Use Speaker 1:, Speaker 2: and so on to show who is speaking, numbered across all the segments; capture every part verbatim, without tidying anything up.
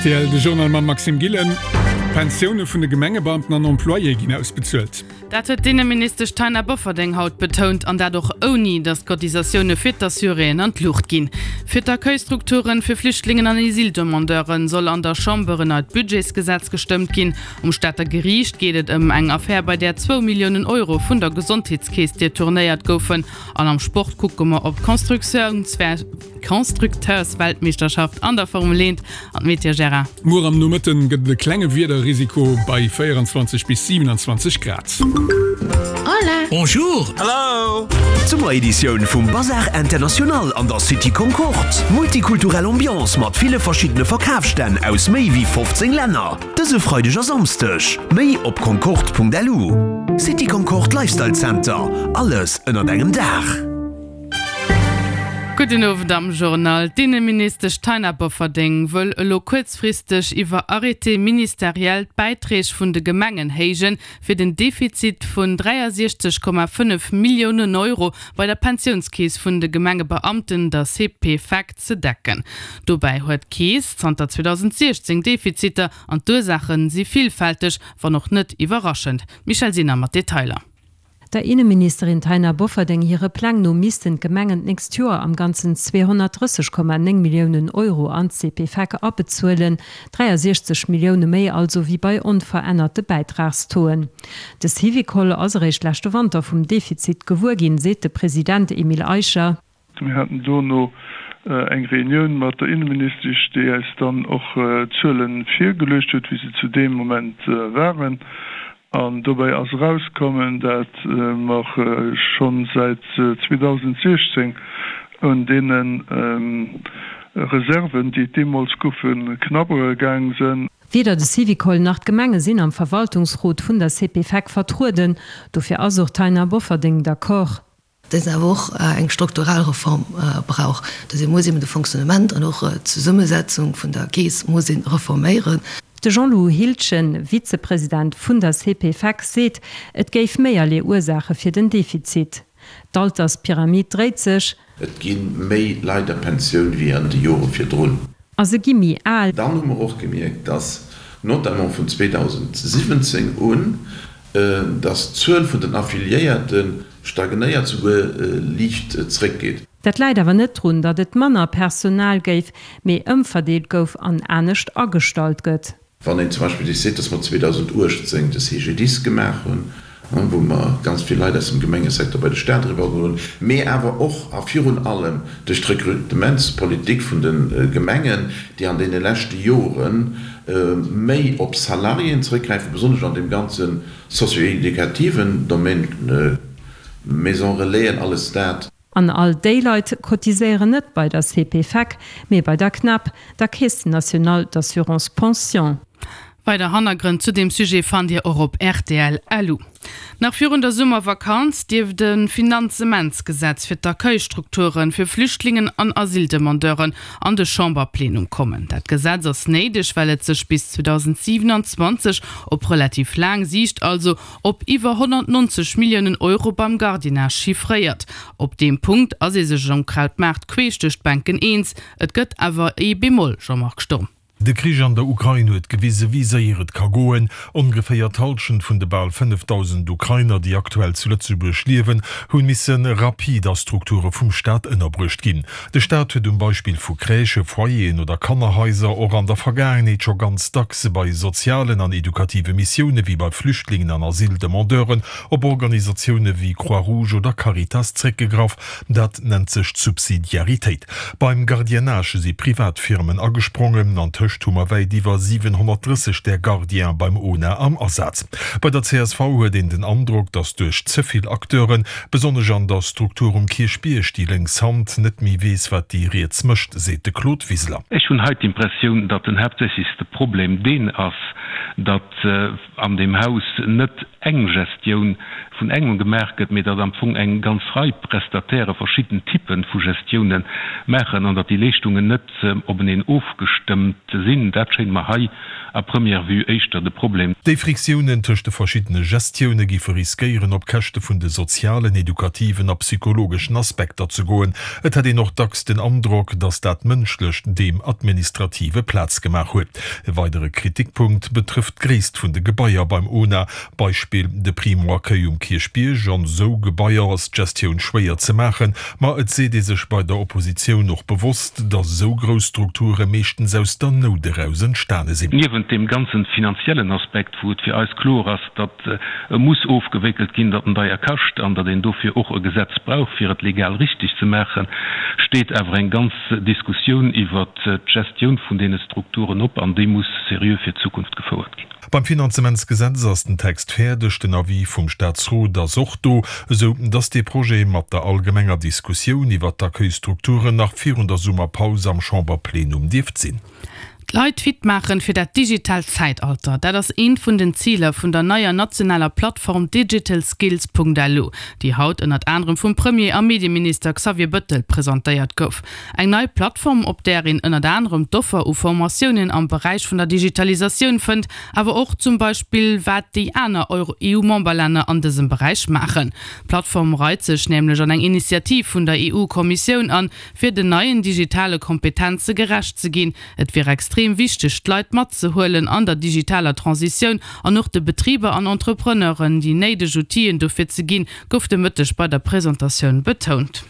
Speaker 1: Rtl, De Journal mam Maxime Gillen. D'Pensioune vun de Gemengebeamten an Employéë ginn ausbezuelt.
Speaker 2: Dat huet d'Inneministesch Taina Bofferding haut betount, an dat och ouni, datt d'Cotisatioune fir d'Assuréen an d'Luucht ginn. Fir d'Accueilstrukturen fir Flüchtlingen an Asyldemandeuren soll an der Chamber en neit Budgetsgesetz gestëmmt ginn. Um Stater Geriicht geet et ëm eng Affär, bei där zwou Milliounen Euro vun der Gesondheetskeess detournéiert goufen. An am Sport kucke mer op d'Constructiouns-Constructeursweltmeeschterschaft an der Formel eent an d'Météo Gérard.
Speaker 1: Muer am Nomëtten gëtt et e klenge Wiederrisiko bei véierenzwanzeg bis siewenundzwanzeg Grad.
Speaker 3: Hola!
Speaker 4: Bonjour!
Speaker 5: Hello!
Speaker 4: D'Summereditioun vum Bazar International an der City Concorde. Multikulturell Ambiance mat ville verschiddene Verkafsstänn aus méi wéi fofzéng Länner. Dëse Freideg a Samsdeg. Méi op concorde.lu. City Concorde Lifestyle Center, alles ënnert engem Daach.
Speaker 2: Gudden Owend am Journal. D'Inneministesch Taina Bofferding wëll elo kuerzfristeg iwwer Arrêté ministériel d'Bäiträg vun de Gemengen héijen, fir den Defizit vun dräiasiechzeg Komma fënnef Milliounen Euro bei der Pensiounskeess vun de Gemengebeamten, der C P F E C, ze decken. Dobäi huet d'Keess zanter zweedausentsiechzéng Defiziter an d'Ursaache si villfälteg, wann och net iwwerraschend. D'Michèle Sinner mat Detailer.
Speaker 6: Der Inneministerin Taina Bofferding hire Pläng no missten d'Gemengen d'nächst Joer am Ganzen zweehonnertdrësseg Komma néng Milliounen Euro an d'C P F E C abezuelen, dräiasiechzeg Millioune méi also wéi bei onverännerte Bäitragstauxen. De Syvicol ass eréischt leschte Wanter vum Defizit gewuer ginn, seet de President Emile Eicher.
Speaker 7: Mir haten dono eng Reunioun mat der Inneministesch, déi eis dann och d'Zuele virgeluecht huet, wéi se zu deem Moment waren. An dobäi ass erauskommen, dat mer scho säit zweedausentsiechzéng un deene Reserven, déi et deemools goufen, knabbere gaang sinn.
Speaker 6: Weder de Syvicol nach d'Gemenge sinn am Verwaltungsrot vun der C P F E C vertrueden. Dofir ass och d'Taina Bofferding d'accord.
Speaker 8: Datt een awer och eng strukturell Reform brauch, datt ee muss eben de Fonctionnement an och d'Zesummesetzung vun der Keess muss ee reforméieren.
Speaker 6: De Jean-Lou Hildgen, Vizepresident vun der C P F E C, seet, et géif méierlee Ursaache fir den Defizit. D'Alterspyramid dréit sech.
Speaker 9: Et gi méi Leit a Pensioun wéi an de Jore virdrun.
Speaker 6: A se gi méi al.
Speaker 9: Dann hu mer och gemierkt, dass notamment vun zweedausentsiwwenzéng un, dass d'Zuel vun den Affiliéierte stagnéiert, souguer liicht zréckgeet.
Speaker 6: Dat läit awer net drun, datt et manner Personal géif, mee ëmverdeelt gouf an anescht agestallt gëtt.
Speaker 9: Wann een zum Beispill sech seet, dass mer zweedausentuechtzéng de C G D I S gemaach hunn, wou mer ganz vill Leit aus dem Gemengesecteur bei de Staat eriwwergeholl hunn, mee awer och a virun allem duerch d'Rekrutementspolitik vun de Gemengen, déi an deene leschte Jore méi op Salariéen zrëckgräifen, besonnesch an deem ganze socio-éducativen Domaine, Maison relaisen, alles dat.
Speaker 6: An all déi Leit cotiséieren net bei der C P F E C, mee bei der CNAP, der Caisse nationale d'assurance pension.
Speaker 2: Weider Hannergrënn zu deem Sujet fannt Dir och op R T L L U. Nach virun der Summervakanz dierft e Finanzementsgesetz fir d'Accueilstrukture fir Flüchtlingen an Asyldemandeuren an de Chamberplenum kommen. Dat Gesetz ass néideg, well et sech bis zweedausentsiwenanzwanzeg op relativ laang Siicht also op iwwer honnertnonzeg Milliounen Euro beim Gardiennage chiffréiert. Op deem Punkt ass ee sech um Krautmaart queesch duerch d'Bänken eens. Et gëtt awer ee Bémol, Jean-Marc Sturm.
Speaker 10: De Krich an der Ukrain huet gewise wéi séier et ka goen. Ongeféier d'Hallschent vun de bal fënnefdausend Ukrainer, déi aktuell zu Lëtzebuerg liewen, hunn misse rapid a Strukture vum Staat ënnerbruecht ginn. De Staat huet um Beispill vu Crèchë, Foyeren oder Kannerhaiser och an der Vergaangenheet scho ganz dacks bei sozialen an edukative Missioune wéi bei Flüchtlingen an Asyldemandeuren op Organisatioune wéi Croix-Rouge oder Caritas zréckgegraff. Dat nennt sech Subsidiaritéit. Beim Gardiennage si Privatfirmen agesprongen. An tëscht hu mer wäit iwwer siwenhonnertdrësseg där Gardienen beim O N A am Asaz. Bei der C S V huet een den Androck, datt duerch ze vill Acteuren, besonnesch an der Struktur um Kierchbierg, déi lénks Hand net méi weess, wat déi riets mécht, seet de Claude Wiseler.
Speaker 11: Ech hunn hei d'Impressioun, datt den haaptsächlechste Problem deen ass, datt an deem Haus net eng Gestioun vun engem gemaach gëtt, mee datt am Fong eng ganz Rei Prestatairë verschidden Typpe vu Gestioune maachen an datt déi Leeschtungen net openeen ofgestëmmt sinn. Dat schéint mer hei à première vue éischter de Problem.
Speaker 10: Déi Friktiounen tëscht de verschiddene Gestioune giffe riskéieren, op Käschte vun de sozialen, edukativen a psychologeschen Aspekter ze goen. Et hätt een och dacks den Androck, datt dat Mënschlecht deem Administrative Plaz gemaach huet. E weidere Kritikpunkt betrëfft d'Gréisst vun de Gebaier beim ona. Beispill de Primo-Accueil um Kierchbierg. An esou Gebaier ass d'Gestioun schwéier ze maachen. Ma et seet ee sech bei der Oppositioun och bewosst, datt esou grouss Strukture meeschtens aus der Nout eraus entstane sinn.
Speaker 11: Niewent deem ganzen finanziellen Aspekt, wou et fir eis kloer ass, datt e muss ofgewéckelt ginn, datt en deier kascht an datt een dofir och e Gesetz brauch, fir et legal richtig ze maachen, steet awer eng ganz Diskussioun iwwert d'Gestioun vun deene Strukturen op an déi muss seriö fir d'Zukunft gefouert ginn.
Speaker 10: Beim Finanzementsgesetz ass den Text fäerdeg, den Avis vum Staatsrot ass och do, esou datt dee Projet mat der allgemenger Diskussioun iwwert d'Accueilstrukturen nach virun der Summerpaus am Chamberplenum dierft sinn.
Speaker 2: D'Leit fit maachen fir dat digitaalt Zäitalter, dat ass eent vun den Ziler vun der neier nationaler Plattform digitalskills.lu, déi haut ënnert anerem vum Premier a Medieminister Xavier Bëttel presentéiert gouf. Eng nei Plattform, op där een ënnert anerem d'Offer u Formatiounen am Beräich vun der Digitalisatioun fënnt, awer och zum Beispill wat déi aner EU-Memberlänner an dësem Beräich maachen. D'Plattform reit sech nämlech an eng Initiativ vun der EU-Kommissioun an, fir den neien digitale Kompetenze gerecht ze ginn. Et wier extrem wichteg, d'Leit matzehuelen an der digitaler Transitioun an och de Betriber an Entrepreneuren déi néideg Outiller dofir ze ginn, gouf de Mëtteg bei der Presentatioun betount.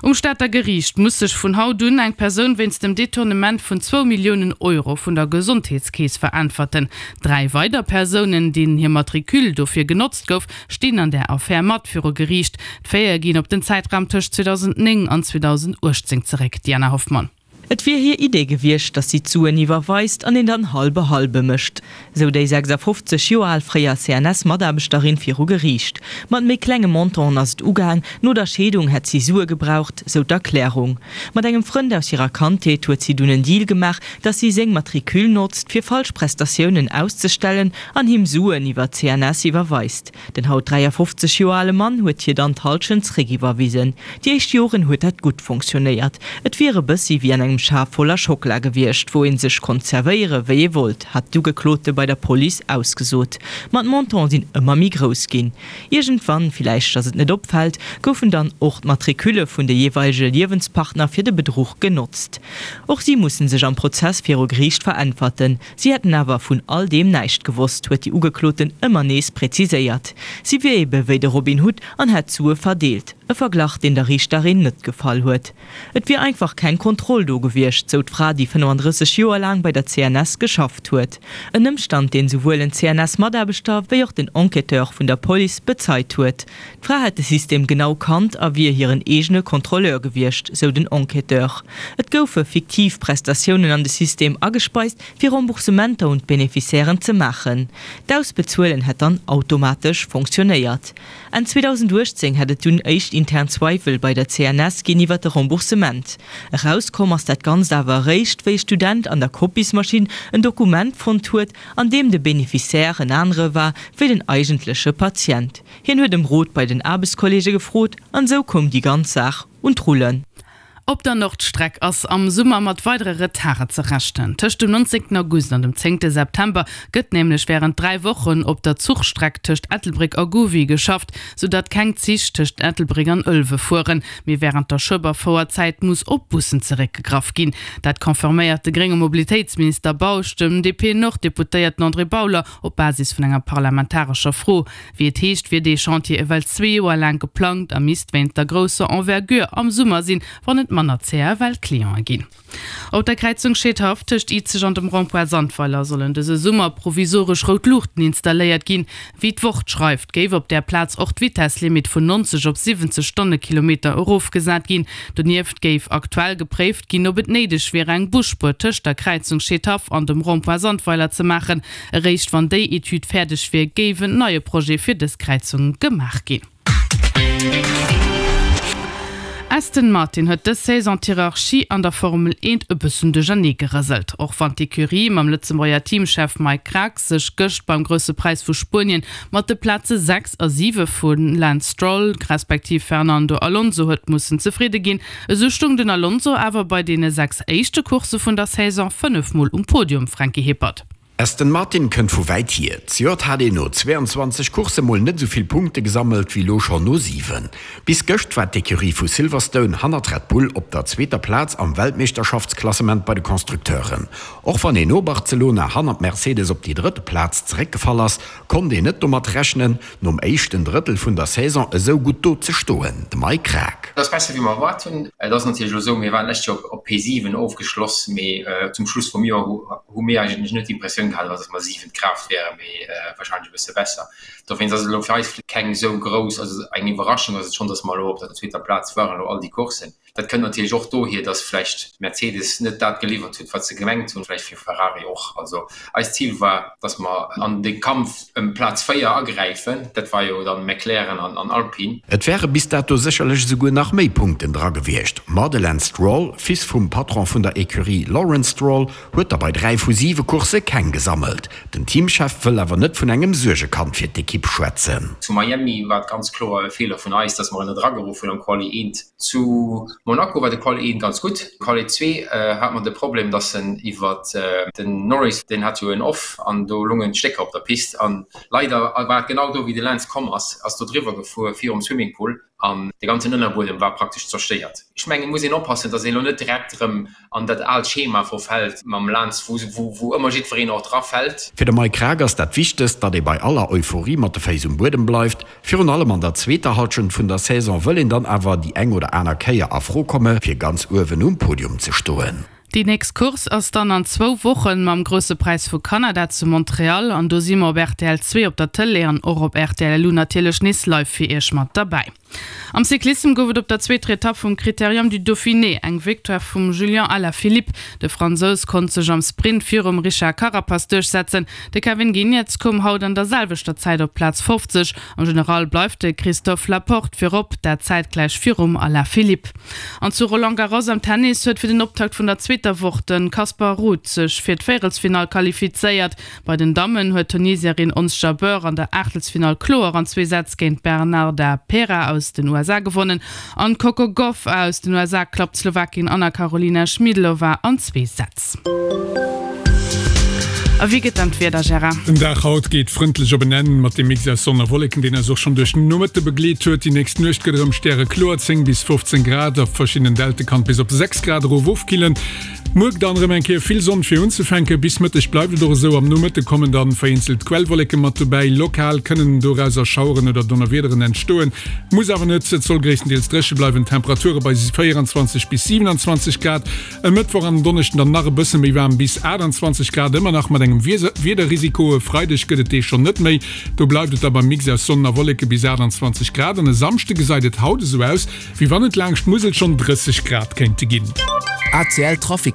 Speaker 2: Um Stater Geriicht muss sech vun haut un eng Persoun wéinst dem Detournement vun zwou Milliounen Euro vun der Gesondheetskeess veräntwerten. Dräi weider Persounen, deenen hir Matricule dofir genotzt gouf, stinn an där Affär mat viru Geriicht. D'Faite ginn op den Zäitraum tëscht zweedausendnéng an zweedausendachtzéng zeréck. Diana Hoffmann.
Speaker 5: Et wier hir Idee gewiescht, datt si d'Suen iwwerweist an een dann halbe-halbe mécht, sou déi sechsafofzeg Joer al fréier C N S-Mataarbechterin viru Geriicht. Mat méi klenge Montanten ass et ugaang, no der Scheedung hätt si Sue gebraucht, sou d'Erklärung. Mat engem Frënd aus hirer Kandheet huet si dunn en Deal gemaach, datt si seng Matricule notzt, fir falsch Prestatiounen auszestellen an him Suen iwwer d'C N S iwwerweist. Den haut dräiafofzeg Joer ale Mann huet hir dann d'Hallschent zeréckiwwerwisen. Déi éischt Joren huet dat gutt fonctionnéiert. Et wier e bëssi wéi an engem Schaf voller Schockela gewiescht, wou ee sech konnt zerwéiere wéi ee wollt, hat d'Ugeklote bei der Police ausgesot. Ma d'Montante sinn ëmmer méi grouss ginn. Iergendwann, villäicht datt et net opfält, goufen dann och d'Matricule vun de jeeweilege Liewenspartner fir de Bedruch genotzt. Och si musse sech am Prozess viru Geriicht veräntwerten. Si hätten awer vun all deem näischt gewosst, huet déi Ugekloten ëmmer nees präziséiert. Si wier ebe wéi de Robin Hood an hätt d'Sue verdeelt. E Verglach, deen der Riichterin net gefall huet. Et wier einfach keng Kontroll do gewiescht, sou d'Fra, déi fënnefandrësseg Joer laang bei der C N S geschafft huet. En Ëmstand, deen souwuel en C N S-Mataarbechter wéi och den Enquêteur vun der Police bezeit huet. D'Fra hätt de System genau kannt a wier hiren eegene Kontrolleur gewiescht, sou den Enquêteur. Et goufe fiktiv Prestatiounen an de System agespeist, fir Remboursementer un d'Beneficiairen ze maachen. D'Ausbezuelen hätt dann automatesch fonctionnéiert. Enn zweedausendachtzéng hätt et dunn éischt intern Zweiwel bei der C N S ginn iwwer de Remboursement. Erauskomm ass dat Ganzt awer eréischt, wéi e Student an der Kopiesmaschinn en Dokument fonnt huet, an deem de Beneficiaire en anere war wéi den eigentleche Patient. Hien huet ëm Rot bei den Aarbechtskolleege gefrot an esou koum déi ganz Saach un d'Rullen.
Speaker 2: Op der Nordstreck ass am Summer mat weidere Retarde ze rechnen. Tëscht dem nonzéngten August an dem zéngte September gëtt nämlech wärend dräi Wochen op der Zuchstreck tëscht Ettelbréck a Gouvy geschafft, sou datt keng Zich tëscht Ettelbréck an Ëlwe fueren. Mee wärend der Schueberfouerzäit muss op Bussen zeréckgegraff ginn. Dat confirméiert de grénge Mobilitéitsminister Bausch dem D P-Nord-Deputéierten André Bauler op Basis vun enger parlamentarescher Fro. Wéi et heescht, wier dee Chantier ewell zwee Joer laang geplangt a misst wéinst der grousser Envergure am Summer sinn, wann et manner C F L-Cliente ginn. Op der Kräizung Scheedhaff tëscht Izeg an dem Rond-point Sandweiler sollen dëse Summer provisoresch rout Luuchten installéiert ginn. Wéi d'Wort schreift, géif op där Plaz och d'Vitesslimit vun neunzeg op siwwenzeg Stonnekilometer erofgesat ginn. Donieft géif aktuell gepréift ginn, ob et néideg wier, eng Busspuer tëscht der Kräizung Scheedhaff an dem Rond-point Sandweiler ze maachen. Eréischt wann déi Etüd fäerdeg wier, géif en neie Projet fir dës Kräizung gemaach ginn. Aston Martin huet dës Saison d'Hierarchie an der Formel eent e bëssen duerchernee gerëselt. Och wann d'Ecurie mam Lëtzebuerger Teamchef Mike Krack sech gëscht beim Grousse Präis vu Spuenien mat de Plaze sechs a siwe vu Lance Stroll respektiv Fernando Alonso huet mussen zefridde ginn, esou stoung den Alonso awer bei deene sechs éischte Coursse vun der Saison fënnef Mol um Podium, Franky Hippert.
Speaker 4: Aston Martin kënnt vu wäit hier. Zejoert hat een no zweeanzwanzeg Coursse mol net esou vill Punkte gesammelt wéi lo schonn no siwen. Bis gëscht war d'Ecurie vu Silverstone hannert Red Bull op der zweeter Plaz am Weltmeeschterschaftsklassement bei de Constructeuren. Och wann een no Barcelona hannert Mercedes op déi drëtte Plaz zeréckgefall ass, konnt een net domat rechnen, nom éischten Drëttel vun der Saison esou gutt do ze stoen. De Mike Krack.
Speaker 12: Et ass besser wéi mer erwaart hunn. Et ass natierlech elo esou, mir waren d'lescht Joer op P siwen ofgeschloss, mee zum Schluss vum Joer hu mir eigentlech net d'Impressioun gehat, dass mer siwent Kraaft wären, mee wahrscheinlech e bësse besser. Dowéinst ass et elo fir eis keng esou grouss, also eng Iwwerraschung ass et schonn, dass mer elo op der zweeter Plaz waren, elo all déi Courssen. Dat kënnt natierlech och dohier, dass vläicht Mercedes net dat geliwwert huet, wat se gemengt hunn, vläicht fir Ferrari och. Also eist Zil war, dass mer an de Kampf ëm Plaz véier agräifen, dat war jo dann McLaren an Alpine.
Speaker 4: Et wäre bis dato sécherlech esouguer nach méi Punkten dra gewiescht, ma de Lance Stroll, Fils vum Patron vun der Ecurie Lawrence Stroll, huet der bei dräi vu siwe Coursse keng gesammelt. Den Teamchef wëll awer net vun engem Suergekand fir d'Ekipp schwätzen.
Speaker 12: Zu Miami war et ganz kloer e Feeler vun eis, dass mer en net erageruff hunn am Quali eent. Zu Monaco war de Quali eent ganz gutt. Quali zwee hat mer de Problem, dass en iwwer den Norris, deen hat jo en Off an do lungen d'Stécker op der Pist an leider war et genau do wéi de Lance komm ass, ass do driwwer gefuer virum Swimmingpool an de ganzen Ënnerbuedem war praktesch zerstéiert. Ech mengen et muss een oppassen, dass een elo net direkt erëm an dat aalt Schema verfält mam Lance, wou wou ëmmer jiddwereen och drafält.
Speaker 4: Fir de Mike Krack ass dat Wichtegst, datt ee bei aller Euphorie mat de Féiss um Buedem bleift. Virun allem an der zweeter Hallschent vun der Saison wëll een dann awer déi eng oder aner Kéier a Fro komme fir ganz uewen um Podium ze stoen.
Speaker 2: Déi nächst Course ass dann an zwou Wochen mam Grousse Präis vu Kanada zu Montreal an do si mer op rtl zwee op der Tëlee an och op rtl Lu natierlech nees live fir iech mat derbäi. Am Cyclissem gouf et op der zweeter Etapp vum Critérium du Dauphiné eng Victoire vum Julian Alaphilippe. De Fransous konnt sech am Sprint virum Richard Carapaz duerchsetzen. De Kevin Geniets koum haut an der selwechter Zäit op Plaz fofzeg. Am General bleift de Christophe Laporte virop, dat zäitgläich virum Alaphilippe. An zu Roland Garros am Tennis huet fir den Optakt vun der zweeter Woch de Casper Ruud sech fir d'Véierelsfinall qualifizéiert. Bei den Dammen huet d'Tunesierin Ons Jabeur an der Aachtelsfinall kloer an zwee Sätz géint d'Bernarda Pera aus den U S A gewonnen an d'Coco Gauff aus den U S A klappt d'Slowakin Anna Karolina Schmiedlova an zwee Sätz. A wéi gëtt dann d'Wieder, Gérard?
Speaker 1: Den Dag haut geet frëndlech op en Enn mat dem Mix aus Sonn a Wolleken, deen eis och schonn duerch den Nomëtte begleet huet. Déi nächst Nuecht gëtt erëm stärekloer, zéng bis fofzéng Grad, a verschiddenen Dälte kann et bis op sechs Grad erof ofkillen. Muer dann erëm eng Kéier vill Sonn fir unzefänken. Bis Mëtteg bleift et och esou. Am Nomëtte kommen dann vereenzelt Quellwolleke mat dobäi. Lokal kënnen dorauser Schaueren oder Donnerwiederen entstoen, muss awer net. Et soll gréisstendeels dréche bleiwen, Temperature bei véieranzwanzeg bis siwenanzwanzeg Grad. E Mëttwoch an en Donneschden dann nach e bësse méi waarm, bis aachtanzwanzeg Grad, ëmmer nach mat engem Wiederrisiko. E Freideg gëtt et dee schonn net méi, do bleift et da beim Mix aus Sonn a Wolleke bis aachtanzwanzeg Grad. An e Samschde gesäit et haut esou aus, wéi wann et laanscht d'Musel schonn drësseg Grad kéinte ginn.
Speaker 13: A C L Trafic.